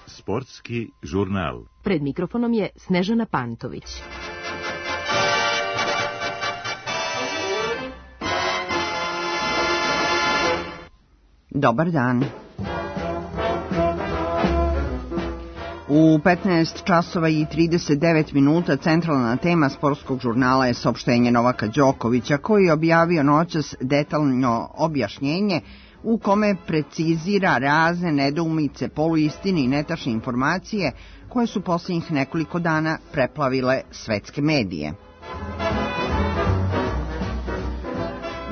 Sportski žurnal. Pred mikrofonom je Snežana Pantović. Dobar dan. U 15 časova i 39 minuta centralna tema sportskog žurnala je saopštenje Novaka Đokovića, koji je objavio noćas detaljno objašnjenje u kome precizira razne nedoumice, poluistine i netačne informacije koje su posljednjih nekoliko dana preplavile svetske medije.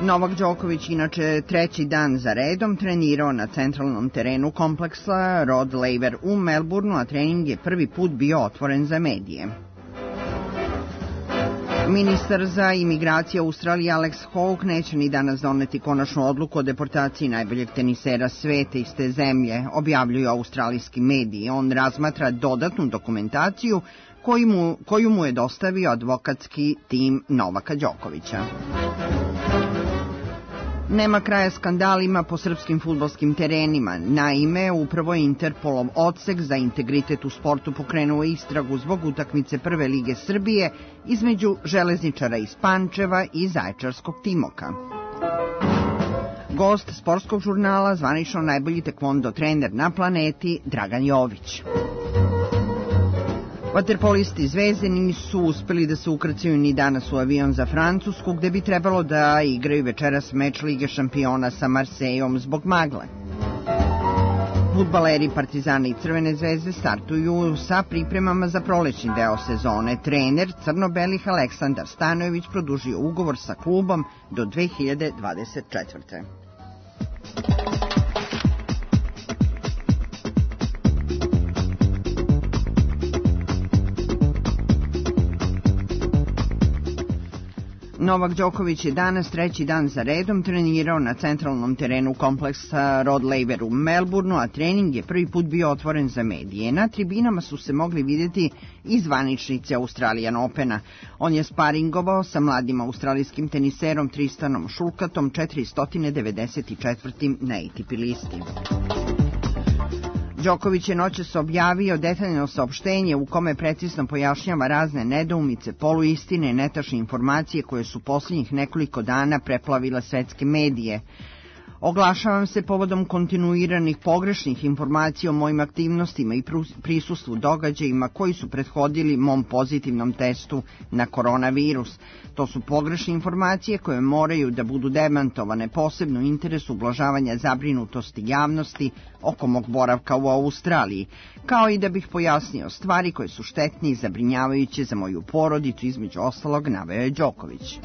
Novak Đoković inače treći dan za redom trenirao na centralnom terenu kompleksa Rod Laver u Melbourneu, a trening je prvi put bio otvoren za medije. Ministar za imigracije Australije Alex Hawke neće ni danas doneti konačnu odluku o deportaciji najboljeg tenisera sveta iz te zemlje, objavljuju australijski mediji. On razmatra dodatnu dokumentaciju koju mu je dostavio advokatski tim Novaka Đokovića. Nema kraja skandalima po srpskim fudbalskim terenima. Naime, upravo je Interpolov odsek za integritet u sportu pokrenuo istragu zbog utakmice Prve lige Srbije između železničara iz Pančeva i Zaječarskog Timoka. Gost sportskog žurnala, zvanično najbolji tekvondo trener na planeti, Dragan Jović. Vaterpolisti Zvezdani nisu uspeli da se ukrcaju ni danas u avion za Francusku, gde bi trebalo da igraju večeras meč Lige šampiona sa Marsejom zbog magle. Fudbaleri Partizana i Crvene zvezde startuju sa pripremama za prolećni deo sezone. Trener crno-belih Aleksandar Stanojević produžio ugovor sa klubom do 2024. Novak Đoković je danas treći dan za redom trenirao na centralnom terenu kompleksa Rod Laver u Melbourneu, a trening je prvi put bio otvoren za medije. Na tribinama su se mogli vidjeti i zvaničnici Australian Opena. On je sparingovao sa mladim australijskim teniserom Tristanom Šulkatom, 494. na ATP listi. Đoković je noćas objavio detaljno saopštenje u kome precizno pojašnjava razne nedoumice, poluistine i netačne informacije koje su posljednjih nekoliko dana preplavile svetske medije. Oglašavam se povodom kontinuiranih pogrešnih informacija o mojim aktivnostima i prisustvu događajima koji su prethodili mom pozitivnom testu na koronavirus. To su pogrešne informacije koje moraju da budu demantovane, posebno u interesu ublažavanja zabrinutosti javnosti oko mog boravka u Australiji, kao i da bih pojasnio stvari koje su štetne i zabrinjavajuće za moju porodicu, između ostalog naveo je Đoković.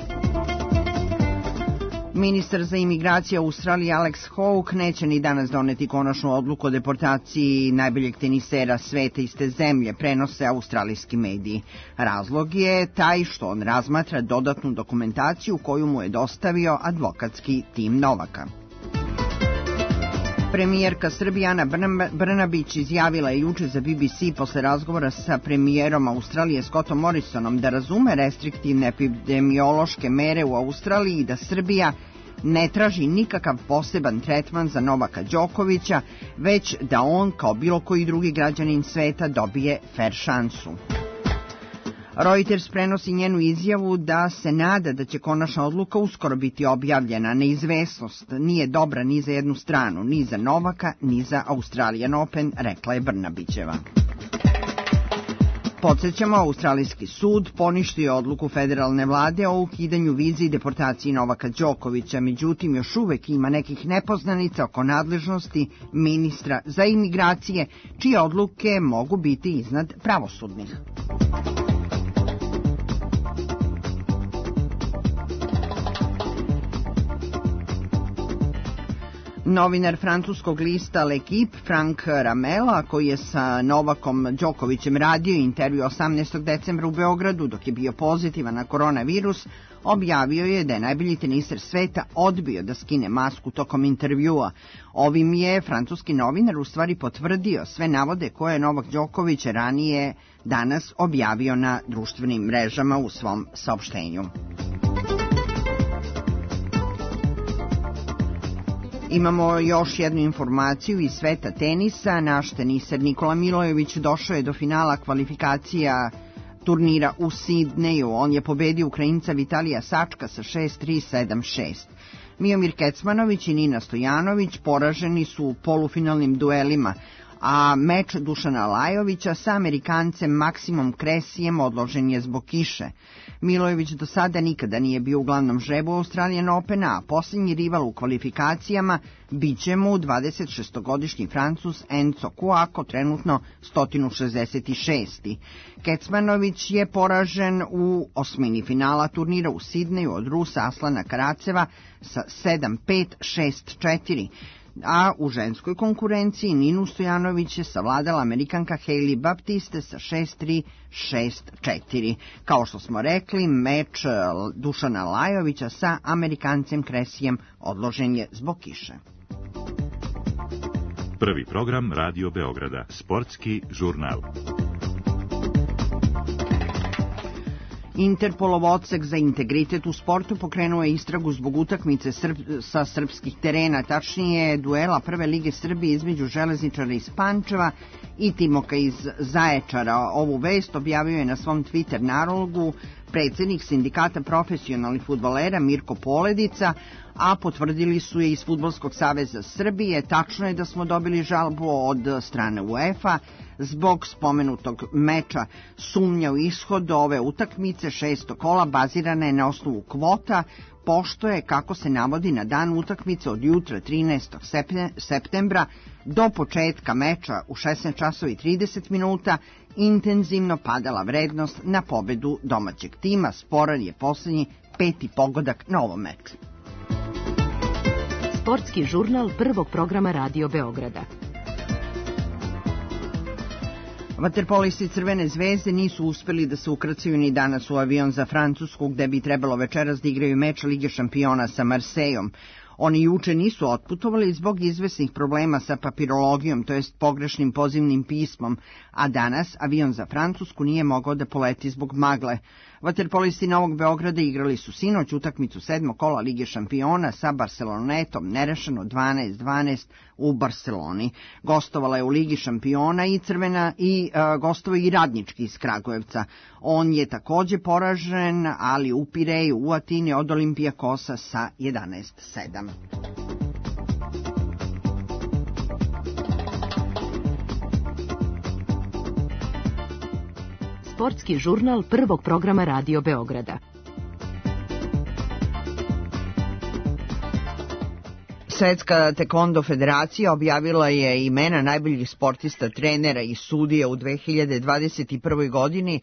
Ministar za imigracije Australije Alex Hawke neće ni danas doneti konačnu odluku o deportaciji najboljeg tenisera sveta iz te zemlje, prenose australijski mediji. Razlog je taj što on razmatra dodatnu dokumentaciju koju mu je dostavio advokatski tim Novaka. Premijerka Srbije Ana Brnabić izjavila je juče za BBC posle razgovora sa premijerom Australije Scottom Morrisonom da razume restriktivne epidemiološke mere u Australiji i da Srbija ne traži nikakav poseban tretman za Novaka Đokovića, već da on, kao bilo koji drugi građanin sveta, dobije fer šansu. Reuters prenosi njenu izjavu da se nada da će konačna odluka uskoro biti objavljena. Neizvesnost nije dobra ni za jednu stranu, ni za Novaka, ni za Australian Open, rekla je Brnabićeva. Podsjećamo, australijski sud poništio odluku federalne vlade o ukidanju vize i deportaciji Novaka Đokovića, međutim još uvek ima nekih nepoznanica oko nadležnosti ministra za imigracije, čije odluke mogu biti iznad pravosudnih. Novinar francuskog lista L'Equipe, Frank Ramela, koji je sa Novakom Đokovićem radio intervju 18. decembra u Beogradu dok je bio pozitivan na koronavirus, objavio je da je najbolji teniser sveta odbio da skine masku tokom intervjua. Ovim je francuski novinar u stvari potvrdio sve navode koje je Novak Đoković ranije danas objavio na društvenim mrežama u svom saopštenju. Imamo još jednu informaciju iz sveta tenisa. Naš teniser Nikola Milojević došao je do finala kvalifikacija turnira u Sidneju. On je pobedio Ukrajinca Vitalija Sačka sa 6-3, 7-6. Miomir Kecmanović i Nina Stojanović poraženi su u polufinalnim duelima, a meč Dušana Lajovića sa Amerikancem Maksimom Kresijem odložen je zbog kiše. Milojević do sada nikada nije bio u glavnom žrebu Australian Opena, a posljednji rival u kvalifikacijama biće mu 26-godišnji Francuz Enzo Couaco, trenutno 166. Kecmanović je poražen u osmini finala turnira u Sidneju od Rusa Aslana Karaceva sa 7-5, 6-4. A u ženskoj konkurenciji Ninu Stojanović je savladala Amerikanka Hailey Baptiste sa 6-3, 6-4. Kao što smo rekli, meč Dušana Lajovića sa Amerikancem Kresijem odložen je zbog kiše. Prvi program Radio Beograda, sportski žurnal. Interpolov odsek za integritet u sportu pokrenuo je istragu zbog utakmice sa srpskih terena, tačnije duela Prve lige Srbije između Železničara iz Pančeva i Timoka iz Zaječara. Ovu vest objavio je na svom Twitter nalogu predsjednik Sindikata profesionalnih fudbalera Mirko Poledica, a potvrdili su je iz Fudbalskog saveza Srbije. Tačno je da smo dobili žalbu od strane UEFA zbog spomenutog meča. Sumnja u ishod ove utakmice 6. kola bazirana je na osnovu kvota, pošto je, kako se navodi, na dan utakmice od jutra 13. septembra do početka meča u 16:30 intenzivno padala vrednost na pobedu domaćeg tima. Sporan je posljednji 5. pogodak na ovom meču. Sportski žurnal prvog programa Radio Beograda. Vaterpolisti Crvene zvezde nisu uspeli da se ukrcaju ni danas u avion za Francusku, gde bi trebalo večeras da igraju meč Lige šampiona sa Marsejom. Oni juče nisu otputovali zbog izvesnih problema sa papirologijom, to jest pogrešnim pozivnim pismom, a danas avion za Francusku nije mogao da poleti zbog magle. Vaterpolisti Novog Beograda igrali su sinoć utakmicu 7. kola Lige šampiona sa Barcelonetom, nerešeno 12-12 u Barceloni. Gostovala je u Ligi šampiona i gostovao i Radnički iz Kragujevca. On je takođe poražen, ali u Pireju u Atini od Olimpijakosa sa 11-7. Sportski žurnal prvog programa Radio Beograda. Svetska tekvondo federacija objavila je imena najboljih sportista, trenera i sudija u 2021. godini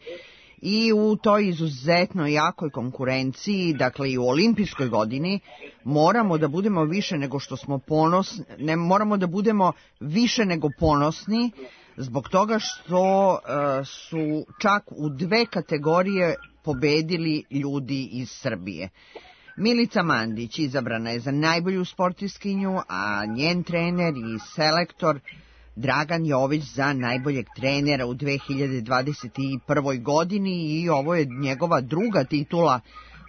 i u toj izuzetno jakoj konkurenciji, dakle i u olimpijskoj godini, moramo da budemo više nego što smo ponosni, moramo da budemo više nego ponosni zbog toga što su čak u 2 kategorije pobedili ljudi iz Srbije. Milica Mandić izabrana je za najbolju sportistkinju, a njen trener i selektor Dragan Jović za najboljeg trenera u 2021. godini i ovo je njegova druga titula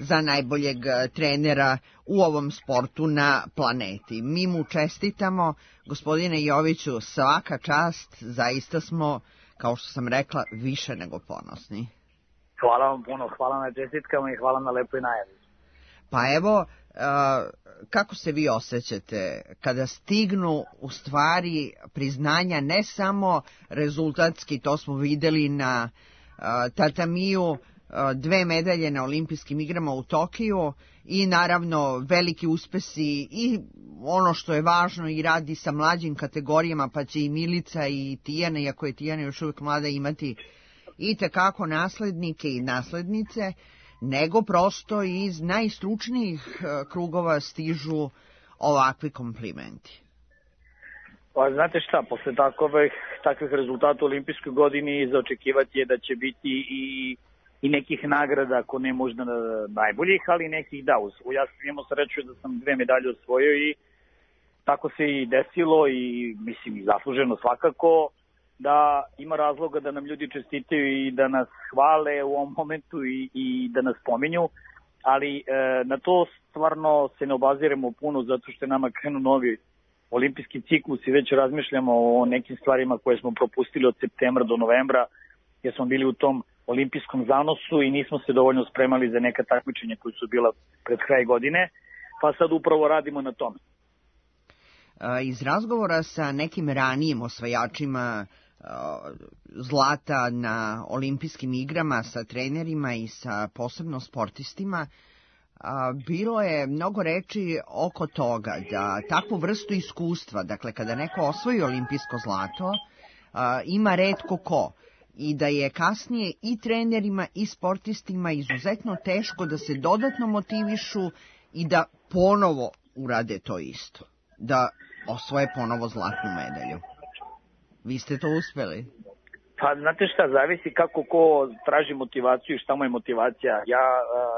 za najboljeg trenera u ovom sportu na planeti. Mi mu čestitamo, gospodine Joviću, svaka čast, zaista smo, kao što sam rekla, više nego ponosni. Hvala vam puno, hvala na čestitkama i hvala na lepoj najavi. Pa evo, kako se vi osjećate kada stignu u stvari priznanja ne samo rezultatski, to smo videli na tatamiju, 2 medalje na olimpijskim igrama u Tokiju i naravno veliki uspesi i ono što je važno i radi sa mlađim kategorijama, pa će i Milica i Tijana, iako je Tijana još uvijek mlada, imati i tekako naslednike i naslednice, nego prosto iz najstručnijih krugova stižu ovakvi komplimenti. Pa znate šta, posle takvih rezultata u olimpijskoj godini za očekivati je da će biti i nekih nagrada, ako ne možda najboljih, ali nekih da. Ja sam imao sreću da sam 2 medalje osvojio i tako se i desilo i mislim i zasluženo svakako da ima razloga da nam ljudi čestitaju i da nas hvale u ovom momentu i da nas pominju, ali na to stvarno se ne obaziremo puno zato što je nama krenu olimpijski ciklus i već razmišljamo o nekim stvarima koje smo propustili od septembra do novembra, jer smo bili u tom olimpijskom zanosu i nismo se dovoljno spremali za neka takmičenja koji su bila pred kraj godine, pa sad upravo radimo na tome. Iz razgovora sa nekim ranijim osvajačima zlata na olimpijskim igrama, sa trenerima i sa posebno sportistima, bilo je mnogo reči oko toga da takvu vrstu iskustva, dakle kada neko osvoji olimpijsko zlato, ima retko ko i da je kasnije i trenerima i sportistima izuzetno teško da se dodatno motivišu i da ponovo urade to isto, da osvoje ponovo zlatnu medalju. Vi ste to uspeli? Pa znate šta, zavisi kako ko traži motivaciju i šta mu je motivacija. Ja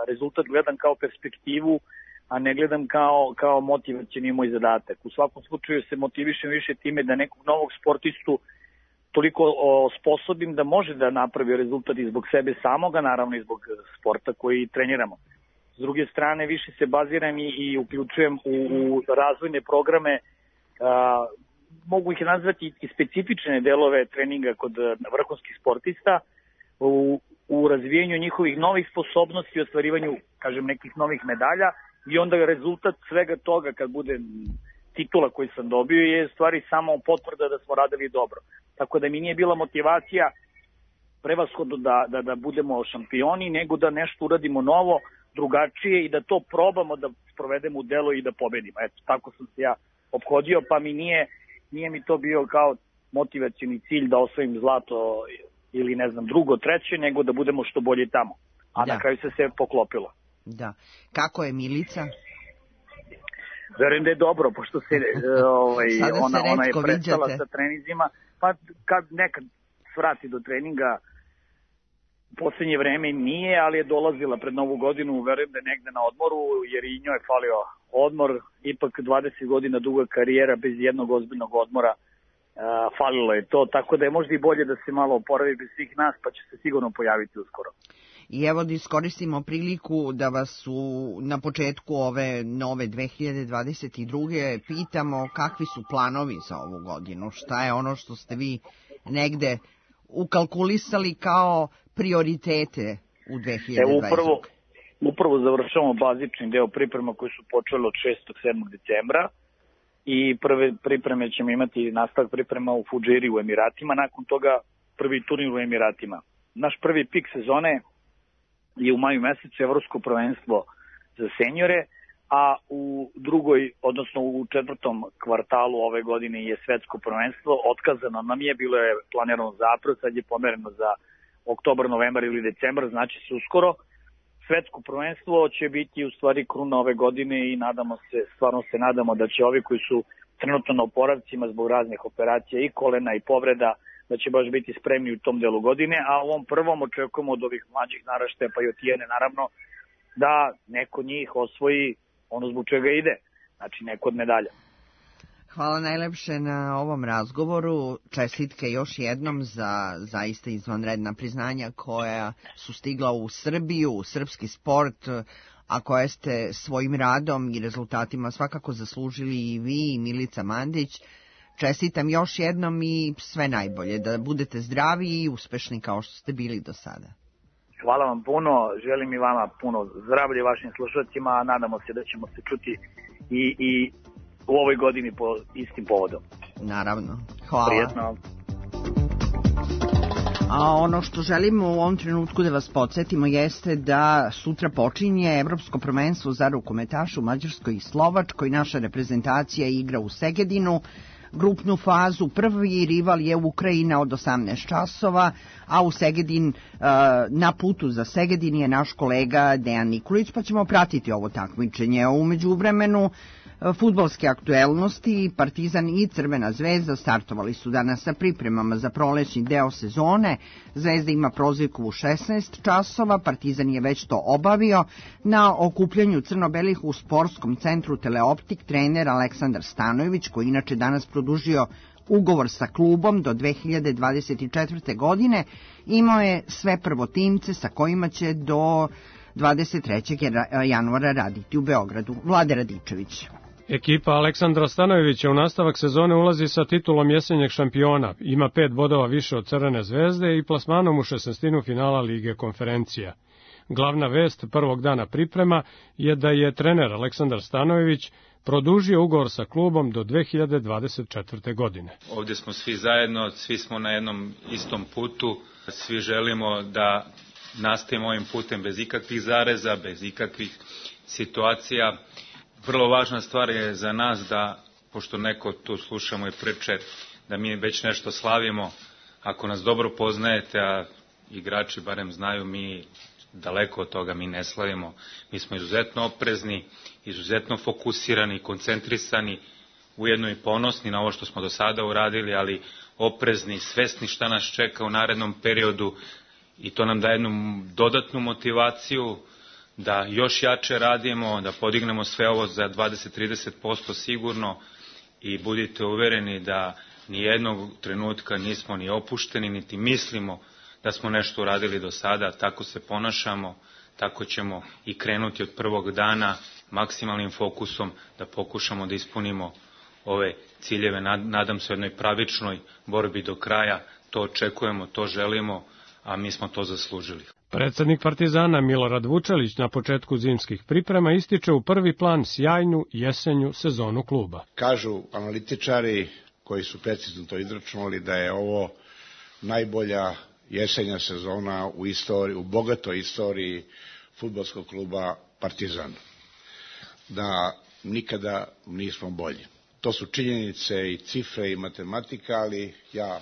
rezultat gledam kao perspektivu, a ne gledam kao motivacioni moj zadatak. U svakom slučaju se motivišem više time da nekog novog sportistu toliko osposobim da može da napravi rezultat i zbog sebe samoga, naravno i zbog sporta koji treniramo. S druge strane, više se baziram i uključujem u razvojne programe, mogu ih nazvati i specifične delove treninga kod vrhunskih sportista u razvijenju njihovih novih sposobnosti i ostvarivanju, kažem, nekih novih medalja i onda rezultat svega toga kad bude titula koju sam dobio je stvari samo potvrda da smo radili dobro. Tako da mi nije bila motivacija prevashodno da budemo šampioni, nego da nešto uradimo novo, drugačije i da to probamo da sprovedemo u delo i da pobedimo. Eto, tako sam se ja ophodio, pa mi nije mi to bio kao motivacioni cilj da osvojim zlato ili ne znam drugo, treće, nego da budemo što bolje tamo. A na kraju se sve poklopilo. Da. Kako je Milica? Verujem da je dobro, pošto se ona je prestala sa trenizima, pa kad nekad svrati do treninga, u poslednje vreme nije, ali je dolazila pred Novu godinu, verujem da je negde na odmoru, jer i njoj je falio odmor, ipak 20 godina duga karijera bez jednog ozbiljnog odmora, falilo je to, tako da je možda i bolje da se malo oporavi bez svih nas, pa će se sigurno pojaviti uskoro. I evo da iskoristimo priliku da vas na početku ove nove 2022. pitamo kakvi su planovi za ovu godinu, šta je ono što ste vi negde ukalkulisali kao prioritete u 2020. Upravo završavamo bazični deo priprema koji su počeli od 6. 7. decembra i prve pripreme ćemo imati nastavak priprema u Fudžiri u Emiratima, nakon toga prvi turnir u Emiratima. Naš prvi pik sezone je u maju mesecu evropsko prvenstvo za senjore, a u drugoj, odnosno u četvrtom kvartalu ove godine je svetsko prvenstvo. Otkazano nam je, bilo je planirano za april, sad je pomereno za oktobar, novembar ili decembar, znači se uskoro. Svetsko prvenstvo će biti u stvari kruna ove godine i stvarno se nadamo da će ovi koji su trenutno na oporavcima zbog raznih operacija i kolena i povreda, da će baš biti spremni u tom delu godine, a u ovom prvom očekujemo od ovih mlađih naraštaja, pa i od Tijene naravno, da neko njih osvoji ono zbog čega ide, znači neko od medalja. Hvala najlepše na ovom razgovoru, čestitke još jednom za zaista izvanredna priznanja koja su stigla u Srbiju, u srpski sport, a koje ste svojim radom i rezultatima svakako zaslužili i vi i Milica Mandić. Čestitam još jednom i sve najbolje, da budete zdravi i uspešni kao što ste bili do sada. Hvala vam puno, želim i vama puno zdravlje vašim slušalcima, a nadamo se da ćemo se čuti i u ovoj godini po istim povodom. Naravno, hvala. Prijetno. A ono što želimo u ovom trenutku da vas podsjetimo jeste da sutra počinje Evropsko prvenstvo za rukometaše u Mađarskoj i Slovačkoj. Naša reprezentacija igra u Segedinu. Grupnu fazu, prvi rival je Ukrajina od 18 časova, a u Segedin, na putu za Segedin je naš kolega Dejan Nikolić, pa ćemo pratiti ovo takmičenje. U međuvremenu fudbalske aktuelnosti, Partizan i Crvena zvezda startovali su danas sa pripremama za prolećni deo sezone. Zvezda ima prozivku u 16 časova, Partizan je već to obavio. Na okupljanju crno-belih u sportskom centru Teleoptik trener Aleksandar Stanojević, koji inače danas produžio ugovor sa klubom do 2024. godine, imao je sve prvotimce sa kojima će do 23. januara raditi u Beogradu. Vlade Radičević. Ekipa Aleksandra Stanojevića u nastavak sezone ulazi sa titulom jesenjeg šampiona, ima 5 bodova više od Crvene zvezde i plasmanom u 16. finala Lige konferencija. Glavna vest prvog dana priprema je da je trener Aleksandar Stanojević produžio ugovor sa klubom do 2024. godine. Ovdje smo svi zajedno, svi smo na jednom istom putu, svi želimo da nastavimo ovim putem bez ikakvih zareza, bez ikakvih situacija. Vrlo važna stvar je za nas da, pošto neko tu slušamo i priče, da mi već nešto slavimo. Ako nas dobro poznajete, a igrači barem znaju, mi daleko od toga, mi ne slavimo. Mi smo izuzetno oprezni, izuzetno fokusirani, koncentrisani, ujedno i ponosni na ovo što smo do sada uradili, ali oprezni, svesni šta nas čeka u narednom periodu i to nam daje jednu dodatnu motivaciju da još jače radimo, da podignemo sve ovo za 20-30% sigurno i budite uvereni da ni jednog trenutka nismo ni opušteni, niti mislimo da smo nešto uradili do sada, tako se ponašamo, tako ćemo i krenuti od prvog dana maksimalnim fokusom da pokušamo da ispunimo ove ciljeve. Nadam se jednoj pravičnoj borbi do kraja, to očekujemo, to želimo, a mi smo to zaslužili. Predsednik Partizana Milorad Vučelić na početku zimskih priprema ističe u prvi plan sjajnu jesenju sezonu kluba. Kažu analitičari koji su precizno to izračunali da je ovo najbolja jesenja sezona u istoriji, u bogatoj istoriji fudbalskog kluba Partizan. Da nikada nismo bolji. To su činjenice i cifre i matematika, ali ja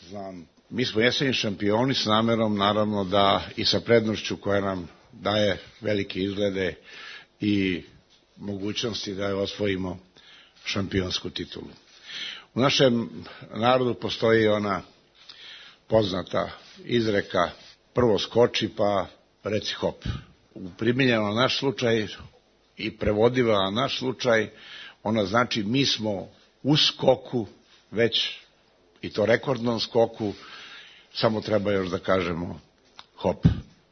znam, mi smo jesenji šampioni s namerom, naravno, da i sa prednošću koja nam daje velike izglede i mogućnosti da osvojimo šampionsku titulu. U našem narodu postoji ona poznata izreka prvo skoči pa reci hop. Primijenjeno na naš slučaj i prevodiva na naš slučaj, ona znači mi smo u skoku već, i to rekordnom skoku, samo treba još da kažemo hop.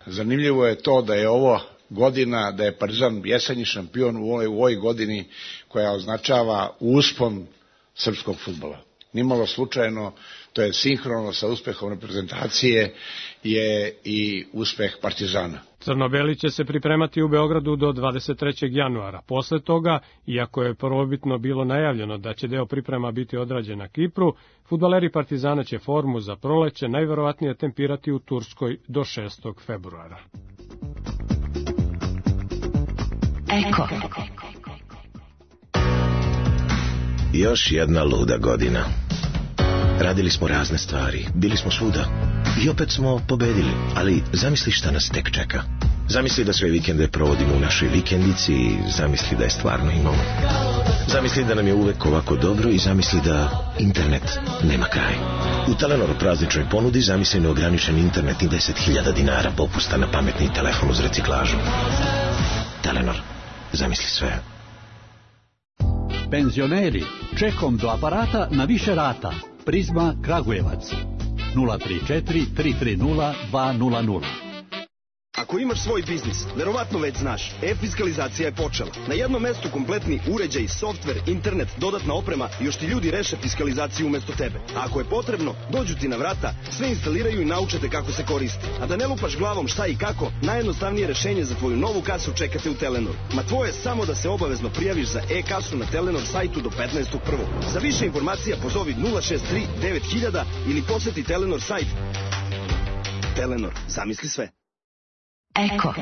Zanimljivo je to da je ovo godina, da je Partizan jesenji šampion u ovoj godini koja označava uspon srpskog fudbala. Nimalo slučajno, to je sinhrono sa uspehom reprezentacije, je i uspeh Partizana. Crno-beli će se pripremati u Beogradu do 23. januara. Posle toga, iako je prvobitno bilo najavljeno da će deo priprema biti odrađen na Kipru, fudbaleri Partizana će formu za proleće najverovatnije tempirati u Turskoj do 6. februara. Eko. Još jedna luda godina. Radili smo razne stvari, bili smo svuda i opet smo pobedili, ali zamisli šta nas tek čeka. Zamisli da sve vikende provodimo u našoj vikendici i zamisli da je stvarno imamo. Zamisli da nam je uvek ovako dobro i zamisli da internet nema kraj. U Telenoru prazničnoj ponudi zamisli neograničen internet i 10.000 dinara popusta na pametni telefon uz reciklažu. Telenor, zamisli sve. Penzioneri, čekom do aparata na više rata. Prizma Kragujevac 034 330 200. Ako imaš svoj biznis, verovatno već znaš, e-fiskalizacija je počela. Na jednom mestu kompletni uređaj, softver, internet, dodatna oprema i još ti ljudi reše fiskalizaciju umesto tebe. A ako je potrebno, dođu ti na vrata, sve instaliraju i naučete kako se koristi. A da ne lupaš glavom šta i kako, najjednostavnije rešenje za tvoju novu kasu čekate u Telenoru. Ma tvoje je samo da se obavezno prijaviš za e-kasu na Telenor sajtu do 15.1. Za više informacija pozovi 063 9000 ili poseti Telenor sajt. Telenor, zamisli sve. Eko.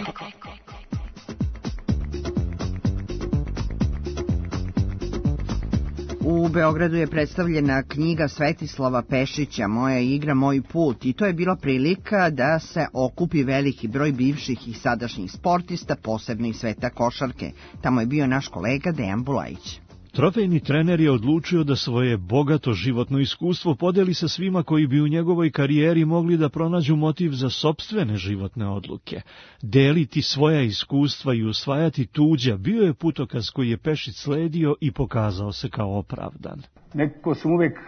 U Beogradu je predstavljena knjiga Svetislava Pešića Moja igra, moj put, i to je bila prilika da se okupi veliki broj bivših i sadašnjih sportista, posebno iz sveta košarke. Tamo je bio naš kolega Dejan Bulajić. Trofejni trener je odlučio da svoje bogato životno iskustvo podeli sa svima koji bi u njegovoj karijeri mogli da pronađu motiv za sopstvene životne odluke. Deliti svoja iskustva i usvajati tuđa bio je putokaz koji je Pešić sledio i pokazao se kao opravdan. Nekako sam uvek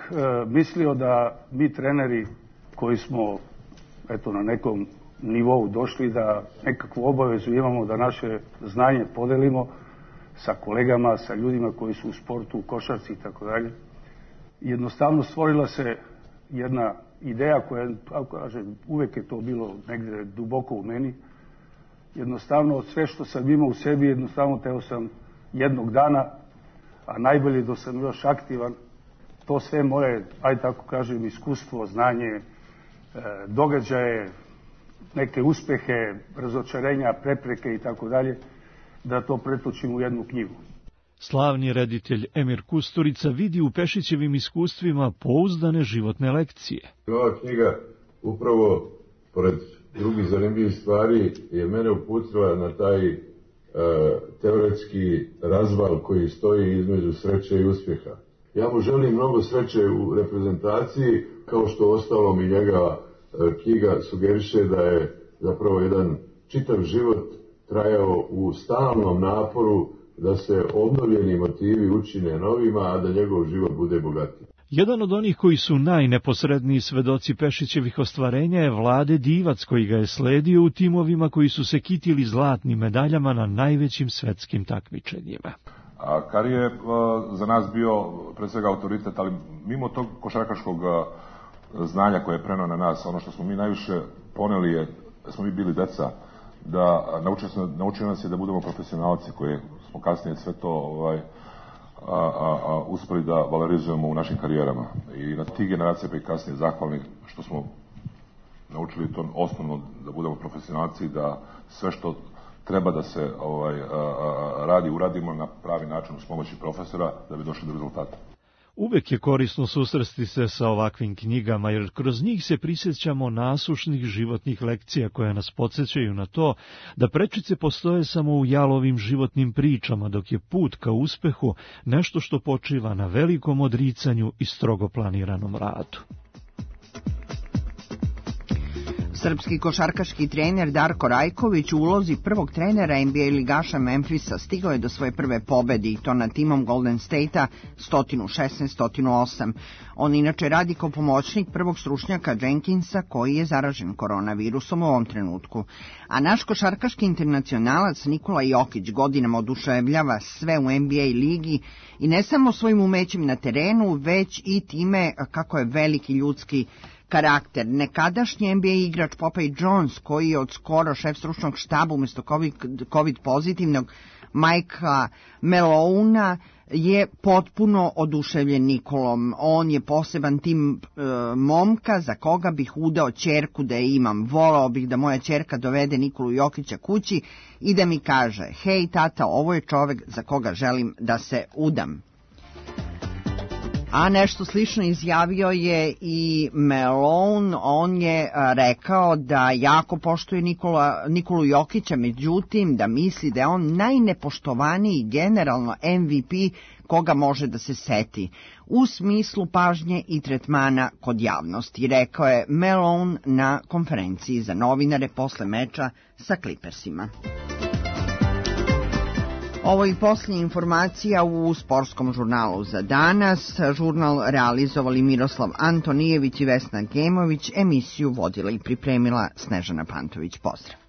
mislio da mi treneri koji smo na nekom nivou došli, da nekakvu obavezu imamo da naše znanje podelimo sa kolegama, sa ljudima koji su u sportu, u košarci i tako dalje. Jednostavno stvorila se jedna ideja koja, kako kažem, uvek je to bilo negde duboko u meni. Jednostavno, od sve što sam imao u sebi, jednostavno teo sam jednog dana, a najbolje da sam još aktivan, to sve moje, aj tako kažem, iskustvo, znanje, događaje, neke uspehe, razočarenja, prepreke i tako dalje, da to pretočim u jednu knjigu. Slavni reditelj Emir Kusturica vidi u Pešićevim iskustvima pouzdane životne lekcije. Ova knjiga upravo, pored drugih zanimljivih stvari, je mene uputila na taj teoretski razval koji stoji između sreće i uspjeha. Ja mu želim mnogo sreće u reprezentaciji, kao što ostalom i njega knjiga sugeriše da je zapravo jedan čitav život trajao u stalnom naporu da se obnovljeni motivi učine novima, a da njegov život bude bogatiji. Jedan od onih koji su najneposredniji svedoci Pešićevih ostvarenja je Vlade Divac, koji ga je sledio u timovima koji su se kitili zlatnim medaljama na najvećim svetskim takmičenjima. Kari je za nas bio pre svega autoritet, ali mimo tog košarkaškog znanja koje je preneo na nas, ono što smo mi najviše poneli je da smo mi bili deca, da naučio nas je da budemo profesionalci, koji smo kasnije sve to uspeli da valorizujemo u našim karijerama. I na tih generacija pa i kasnije zahvalni što smo naučili to osnovno da budemo profesionalci, da sve što treba da se radi, uradimo na pravi način uz pomoći profesora da bi došli do rezultata. Uvek je korisno susresti se sa ovakvim knjigama, jer kroz njih se prisjećamo nasušnih životnih lekcija koje nas podsjećaju na to da prečice postoje samo u jalovim životnim pričama, dok je put ka uspehu nešto što počiva na velikom odricanju i strogo planiranom radu. Srpski košarkaški trener Darko Rajković u ulozi prvog trenera NBA ligaša Memphisa stigao je do svoje prve pobede i to nad timom Golden State-a 116-108. On inače radi kao pomoćnik prvog stručnjaka Jenkinsa koji je zaražen koronavirusom u ovom trenutku. A naš košarkaški internacionalac Nikola Jokić godinama oduševljava sve u NBA ligi i ne samo svojim umećem na terenu, već i time kako je veliki ljudski karakter. Nekadašnji NBA igrač Popeye Jones, koji je od skoro šef stručnog štaba umjesto COVID pozitivnog Mikea Malonea, je potpuno oduševljen Nikolom. On je poseban tim momka za koga bih udao ćerku da je imam. Volao bih da moja ćerka dovede Nikolu Jokića kući i da mi kaže: hej tata, ovo je čovek za koga želim da se udam. A nešto slično izjavio je i Malone. On je rekao da jako poštuje Nikolu Jokića, međutim da misli da je on najnepoštovaniji generalno MVP koga može da se seti u smislu pažnje i tretmana kod javnosti, rekao je Malone na konferenciji za novinare posle meča sa Clippersima. Ovo je posljednja informacija u sportskom žurnalu za danas. Žurnal realizovali Miroslav Antonijević i Vesna Gemović, emisiju vodila i pripremila Snežana Pantović. Pozdrav.